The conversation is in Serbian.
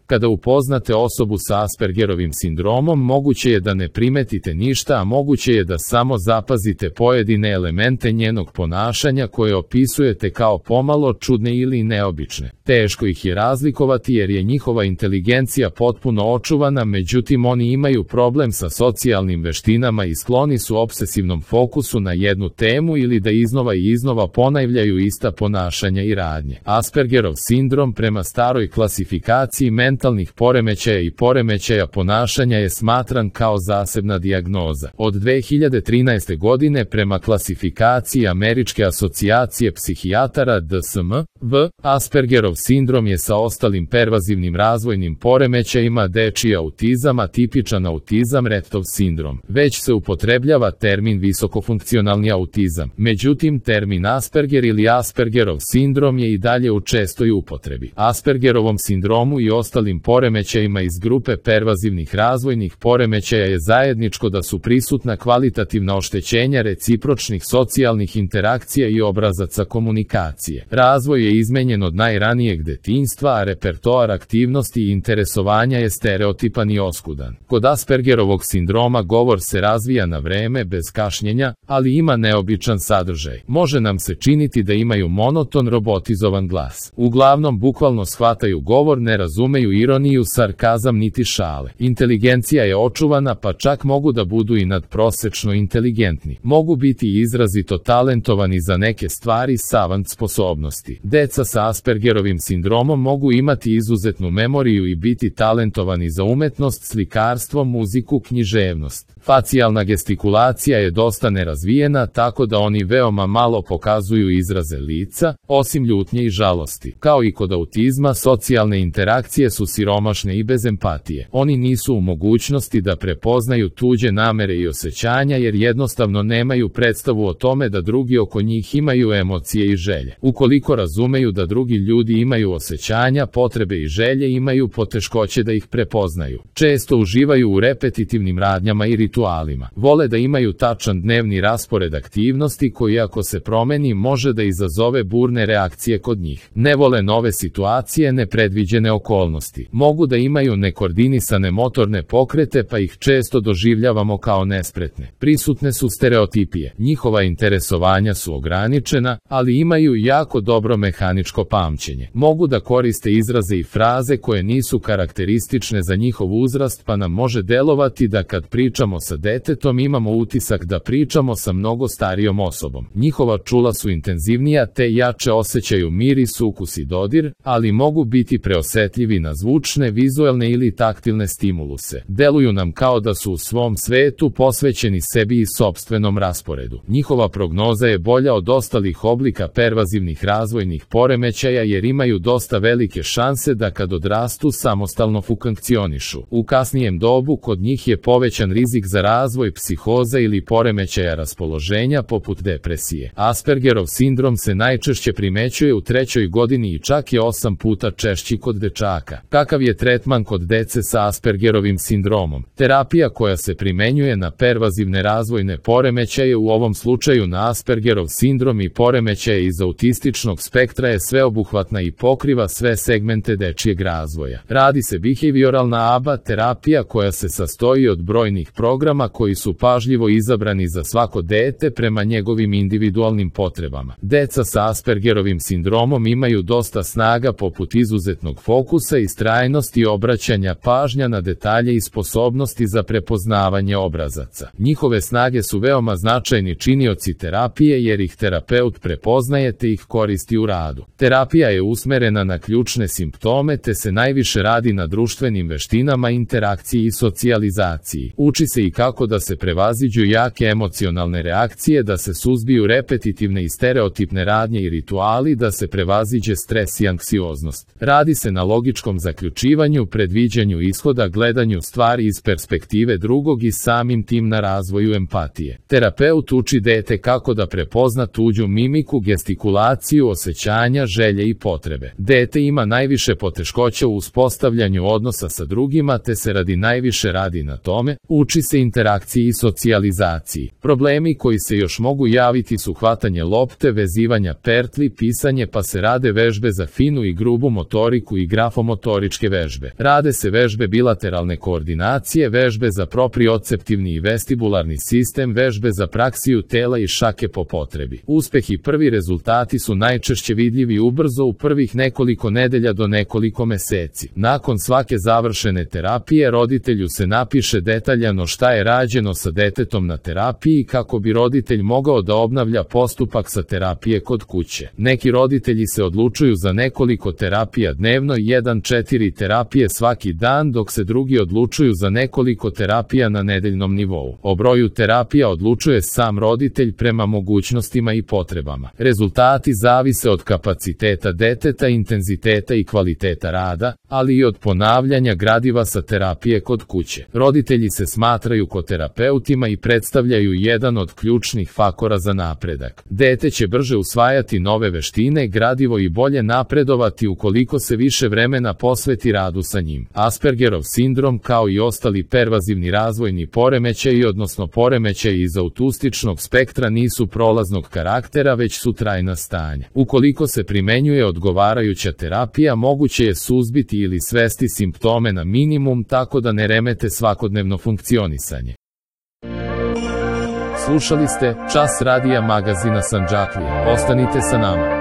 Kada upoznate osobu sa Aspergerovim sindromom, moguće je da ne primetite ništa, a moguće je da samo zapazite pojedine elemente njenog ponašanja koje opisujete kao pomalo čudne ili neobične. Teško ih je razlikovati jer je njihova inteligencija potpuno očuvana, međutim oni imaju problem sa socijalnim veštinama i skloni su obsesivnom fokusu na jednu temu ili da iznova i iznova ponavljaju ista ponašanja i radnje. Aspergerov sindrom prema staroj klasifikaciji mentalnih poremećaja i poremećaja ponašanja je smatran kao zasebna dijagnoza. Od 2013. godine prema klasifikaciji Američke asocijacije psihijatara DSM-V, Aspergerov sindrom je sa ostalim pervazivnim razvojnim poremećajima dečiji autizam, atipičan autizam, Rettov sindrom. Već se upotrebljava termin visokofunkcionalni autizam. Međutim, termin Asperger ili Aspergerov sindrom je i dalje u čestoj upotrebi. Aspergerovom sindromu i ostalim poremećajima iz grupe pervazivnih razvojnih poremećaja je zajedničko da su prisutna kvalitativna oštećenja recipročnih socijalnih interakcija i obrazaca komunikacije. Razvoj je izmenjen od najranijeg detinjstva, a repertoar aktivnosti i interesovanja je stereotipan i oskudan. Kod Aspergerovog sindroma govor se razvija na vreme, bez kašnjenja, ali ima neobičan sadržaj. Može nam se činiti da imaju monoton, robotizovan glas. Uglavnom bukvalno shvataju govor, ne razumeju ironiju, sarkazam niti šale. Inteligencija je očuvana, pa čak mogu da budu i nadprosečno inteligentni. Mogu biti izrazito talentovani za neke stvari, savant sposobnosti. Deca sa Aspergerovim sindromom mogu imati izuzetnu memoriju i biti talentovani za umetnost, slikarstvo, muziku, književnost. Facijalna gestikulacija je dosta nerazvijena, tako da oni veoma malo pokazuju izraze lica, osim ljutnje i žalosti. Kao i kod autizma, socijalne interakcije su siromašne i bez empatije. Oni nisu u mogućnosti da prepoznaju tuđe namere i osjećanja jer jednostavno nemaju predstavu o tome da drugi oko njih imaju emocije i želje. Ukoliko razumeju da drugi ljudi imaju osjećanja, potrebe i želje, imaju poteškoće da ih prepoznaju. Često uživaju u repetitivnim radnjama i ritualima. Vole da imaju tačan dnevni raspored aktivnosti koji ako se promeni može da izazove burne reakcije kod njih. Ne vole nove situacije, nepredviđene okolnosti. Mogu da imaju nekoordinisane motorne pokrete pa ih često doživljavamo kao nespretne. Prisutne su stereotipije. Njihova interesovanja su ograničena, ali imaju jako dobro mehaničko pamćenje. Mogu da koriste izraze i fraze koje nisu karakteristične za njihov uzrast, pa nam može delovati da kad pričamo sa detetom imamo utisak da pričamo sa mnogo starijom osobom. Njihova čula su intenzivnija te jače osjećaju miris, ukus i dodir, ali mogu biti preosetljivi na zvučne, vizuelne ili taktilne stimuluse. Deluju nam kao da su u svom svetu posvećeni sebi i sopstvenom rasporedu. Njihova prognoza je bolja od ostalih oblika pervazivnih razvojnih poremećaja jer imaju dosta velike šanse da kad odrastu samostalno funkcionišu. U kasnijem dobu kod njih je povećan rizik za razvoj psihoza ili poremećaja raspoloženja poput depresije. Aspergerov sindrom se najčešće primećuje u 3. godini i čak je 8 puta češći kod dečaka. Kakav je tretman kod dece sa Aspergerovim sindromom? Terapija koja se primenjuje na pervazivne razvojne poremećaje, u ovom slučaju na Aspergerov sindrom i poremećaje iz autističnog spektra, je sveobuhvatna i pokriva sve segmente dečijeg razvoja. Radi se behavioralna ABA terapija koja se sastoji od brojnih programa koji su pažljivo izabrani za svako dete prema njegovim individualnim potrebama. Deca sa Aspergerovim sindromom imaju dosta snaga poput izuzetnog fokusa, istrajnosti, obraćanja pažnja na detalje i sposobnosti za prepoznavanje obrazaca. Njihove snage su veoma značajni činioci terapije jer ih terapeut prepoznaje te ih koristi u radu. Terapija je usmerena na ključne simptome te se najviše radi na društvenim veštinama, interakciji i socijalizaciji. Uči se i kako da se prevaziđu jake emocionalne reakcije, da se suzbiju repetitivne i stereotipne radnje i rituali, da se prevaziđe stres i anksioznost. Radi se na logičkom zaključivanju, predviđanju ishoda, gledanju stvari iz perspektive drugog i samim tim na razvoju empatije. Terapeut uči dete kako da prepozna tuđu mimiku, gestikulaciju, osjećanja znanja, želje i potrebe. Dete ima najviše poteškoća u uspostavljanju odnosa sa drugima, te se najviše radi na tome, uči se interakciji i socijalizaciji. Problemi koji se još mogu javiti su hvatanje lopte, vezivanja pertli, pisanje, pa se rade vežbe za finu i grubu motoriku i grafomotoričke vežbe. Rade se vežbe bilateralne koordinacije, vežbe za proprioceptivni i vestibularni sistem, vežbe za praksiju tela i šake po potrebi. Uspeh i prvi rezultati su najčešće vidljivi ubrzo u prvih nekoliko nedelja do nekoliko meseci. Nakon svake završene terapije roditelju se napiše detaljano šta je rađeno sa detetom na terapiji kako bi roditelj mogao da obnavlja postupak sa terapije kod kuće. Neki roditelji se odlučuju za nekoliko terapija dnevno i 1-4 terapije svaki dan, dok se drugi odlučuju za nekoliko terapija na nedeljnom nivou. O broju terapija odlučuje sam roditelj prema mogućnostima i potrebama. Rezultati zavise od kapaciteta deteta, intenziteta i kvaliteta rada, ali i od ponavljanja gradiva sa terapije kod kuće. Roditelji se smatraju koterapeutima i predstavljaju jedan od ključnih faktora za napredak. Dete će brže usvajati nove veštine, gradivo i bolje napredovati ukoliko se više vremena posveti radu sa njim. Aspergerov sindrom, kao i ostali pervazivni razvojni poremećaji, odnosno poremećaji iz autističnog spektra, nisu prolaznog karaktera, već su trajna stanja. Ukoliko se primenjuje odgovarajuća terapija, moguće je suzbiti ili svesti simptome na minimum tako da ne remete svakodnevno funkcionisanje. Slušali ste Čas radija magazina Sandžaklija. Ostanite sa nama.